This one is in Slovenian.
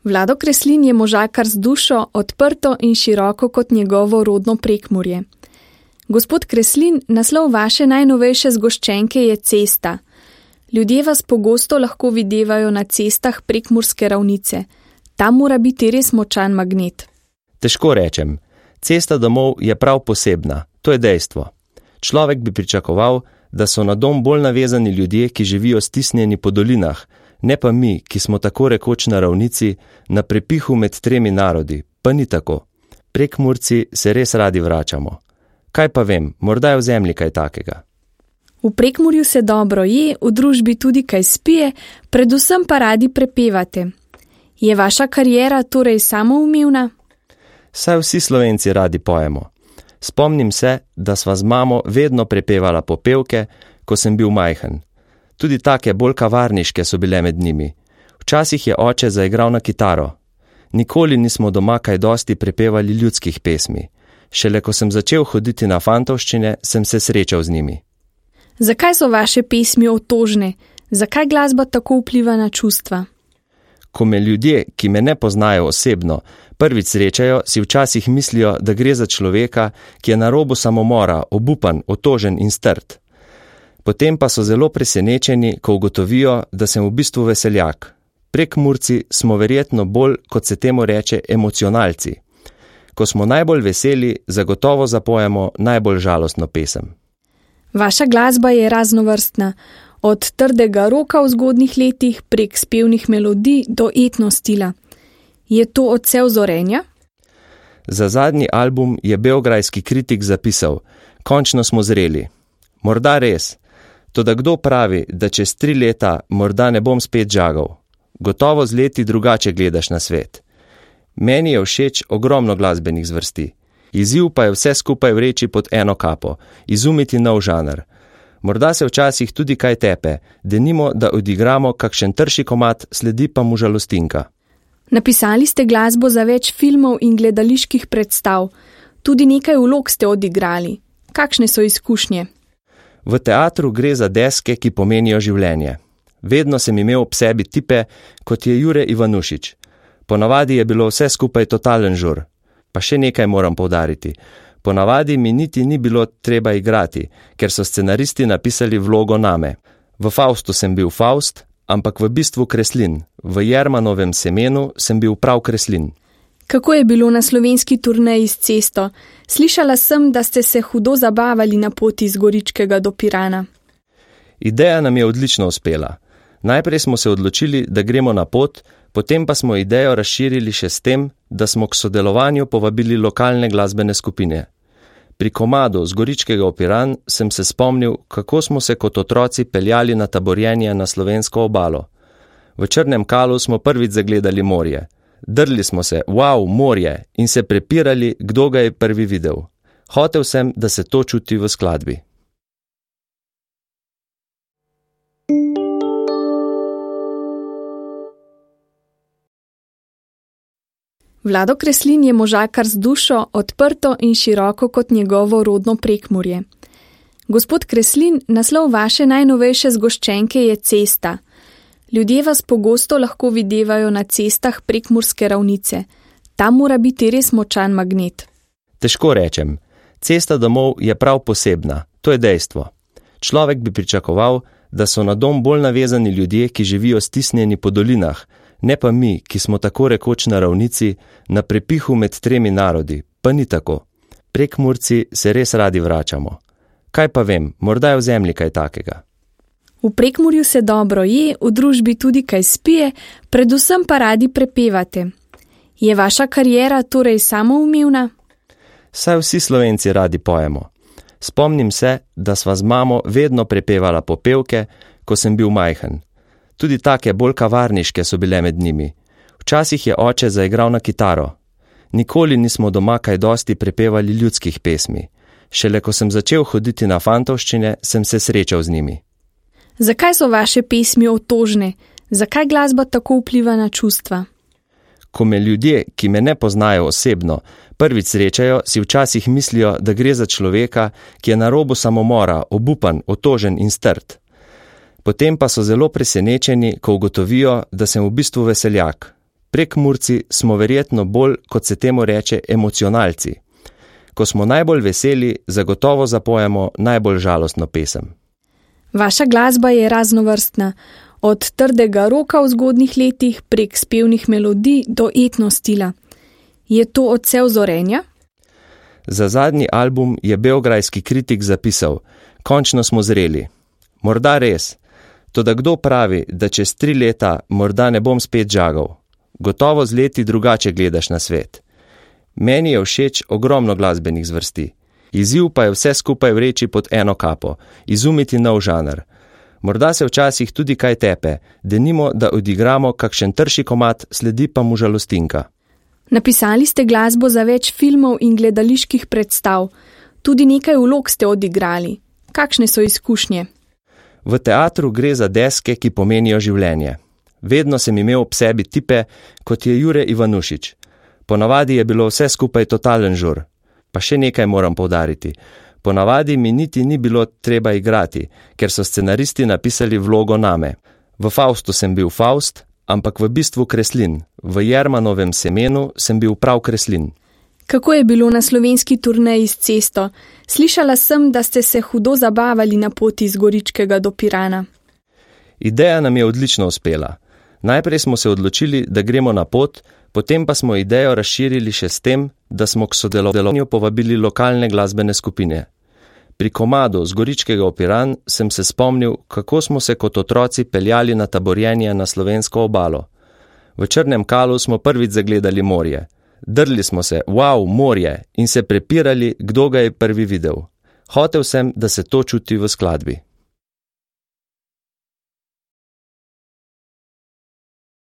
Vlado Kreslin je možakar z dušo, odprto in široko kot njegovo rodno Prekmurje. Gospod Kreslin, naslov vaše najnovejše zgoščenke je Cesta. Ljudje vas pogosto lahko videvajo na cestah Prekmurske ravnice. Tam mora biti res močan magnet. Težko rečem. Cesta domov je prav posebna, to je dejstvo. Človek bi pričakoval, da so na dom bolj navezani ljudje, ki živijo stisnjeni po dolinah, ne pa mi, ki smo tako rekoč na ravnici, na prepihu med tremi narodi, pa ni tako. Prekmurci se res radi vračamo. Kaj pa vem, morda je v zemlji kaj takega. V Prekmurju se dobro je, v družbi tudi kaj spije, predvsem pa radi prepevate. Je vaša kariera torej samoumevna? Saj vsi Slovenci radi pojemo. Spomnim se, da sva z mamo vedno prepevala popevke, ko sem bil majhen. Tudi take bolj kavarniške so bile med njimi. Včasih je oče zaigral na kitaro. Nikoli nismo doma kaj dosti prepevali ljudskih pesmi. Šele ko sem začel hoditi na fantovščine, sem se srečal z njimi. Zakaj so vaše pesmi otožne? Zakaj glasba tako vpliva na čustva? Ko me ljudje, ki me ne poznajo osebno, prvič srečajo, si včasih mislijo, da gre za človeka, ki je na robu samomora, obupan, otožen in strt. Potem pa so zelo presenečeni, ko ugotovijo, da sem v bistvu veseljak. Prekmurci smo verjetno bolj, kot se temu reče, emocionalci. Ko smo najbolj veseli, zagotovo zapojemo najbolj žalostno pesem. Vaša glasba je raznovrstna, od trdega roka v zgodnjih letih prek spevnih melodij do etno stila. Je to odsev zorenja? Za zadnji album je beograjski kritik zapisal: končno smo zreli. Morda res, toda kdo pravi, da čez 3 leta morda ne bom spet žagal? Gotovo z leti drugače gledaš na svet. Meni je všeč ogromno glasbenih zvrsti. Izziv pa je vse skupaj vreči pod eno kapo, izumiti nov žanr. Morda se včasih tudi kaj tepe, denimo, da odigramo kakšen trši komad, sledi pa mu žalostinka. Napisali ste glasbo za več filmov in gledaliških predstav. Tudi nekaj vlog ste odigrali. Kakšne so izkušnje? V teatru gre za deske, ki pomenijo življenje. Vedno sem imel ob sebi tipe, kot je Jure Ivanušič. Ponavadi je bilo vse skupaj totalen žur. Pa še nekaj moram poudariti. Ponavadi mi niti ni bilo treba igrati, ker so scenaristi napisali vlogo name. V Faustu sem bil Faust, ampak v bistvu Kreslin. V Jermanovem semenu sem bil prav Kreslin. Kako je bilo na slovenski turneji s Cesto? Slišala sem, da ste se hudo zabavali na poti iz Goričkega do Pirana. Ideja nam je odlično uspela. Najprej smo se odločili, da gremo na pot, potem pa smo idejo razširili še s tem, da smo k sodelovanju povabili lokalne glasbene skupine. Pri komadu z Goričkega v Piran sem se spomnil, kako smo se kot otroci peljali na taborjenje na slovensko obalo. V Črnem Kalu smo prvič zagledali morje. Drli smo se, wow, morje, in se prepirali, kdo ga je prvi videl. Hotel sem, da se to čuti v skladbi. Vlado Kreslin je možakar z dušo, odprto in široko kot njegovo rodno Prekmurje. Gospod Kreslin, naslov vaše najnovejše zgoščenke je Cesta. Ljudje vas pogosto lahko videvajo na cestah Prekmurske ravnice. Tam mora biti res močan magnet. Težko rečem. Cesta domov je prav posebna, to je dejstvo. Človek bi pričakoval, da so na dom bolj navezani ljudje, ki živijo stisnjeni po dolinah, ne pa mi, ki smo tako rekoč na ravnici, na prepihu med tremi narodi, pa ni tako. Prekmurci se res radi vračamo. Kaj pa vem, morda je v zemlji kaj takega. V Prekmurju se dobro je, v družbi tudi kaj spije, predvsem pa radi prepevate. Je vaša kariera torej samoumevna? Saj vsi Slovenci radi pojemo. Spomnim se, da sva z mamo vedno prepevala popevke, ko sem bil majhen. Tudi take bolj kavarniške so bile med njimi. Včasih je oče zaigral na kitaro. Nikoli nismo doma kaj dosti prepevali ljudskih pesmi. Šele ko sem začel hoditi na fantovščine, sem se srečal z njimi. Zakaj so vaše pesmi otožne? Zakaj glasba tako vpliva na čustva? Ko me ljudje, ki me ne poznajo osebno, prvič srečajo, si včasih mislijo, da gre za človeka, ki je na robu samomora, obupan, otožen in strt. Potem pa so zelo presenečeni, ko ugotovijo, da sem v bistvu veseljak. Prekmurci smo verjetno bolj, kot se temu reče, emocionalci. Ko smo najbolj veseli, zagotovo zapojemo najbolj žalostno pesem. Vaša glasba je raznovrstna, od trdega roka v zgodnjih letih prek spevnih melodij do etno stila. Je to odsev zorenja? Za zadnji album je beograjski kritik zapisal: končno smo zreli. Morda res, toda kdo pravi, da čez 3 leta morda ne bom spet žagal? Gotovo z leti drugače gledaš na svet. Meni je všeč ogromno glasbenih zvrsti. Izziv pa je vse skupaj vreči pod eno kapo, izumiti nov žanr. Morda se včasih tudi kaj tepe, denimo, da odigramo kakšen trši komad, sledi pa mu žalostinka. Napisali ste glasbo za več filmov in gledaliških predstav. Tudi nekaj vlog ste odigrali. Kakšne so izkušnje? V teatru gre za deske, ki pomenijo življenje. Vedno sem imel ob sebi tipe, kot je Jure Ivanušič. Ponavadi je bilo vse skupaj totalen žur. Pa še nekaj moram poudariti. Ponavadi mi niti ni bilo treba igrati, ker so scenaristi napisali vlogo name. V Faustu sem bil Faust, ampak v bistvu Kreslin. V Jermanovem semenu sem bil prav Kreslin. Kako je bilo na slovenski turneji s Cesto? Slišala sem, da ste se hudo zabavali na poti iz Goričkega do Pirana. Ideja nam je odlično uspela. Najprej smo se odločili, da gremo na pot, potem pa smo idejo razširili še s tem, da smo k sodelovanju povabili lokalne glasbene skupine. Pri komadu z Goričkega v Piran sem se spomnil, kako smo se kot otroci peljali na taborjenje na slovensko obalo. V Črnem Kalu smo prvič zagledali morje. Drli smo se, wow, morje, in se prepirali, kdo ga je prvi videl. Hotel sem, da se to čuti v skladbi.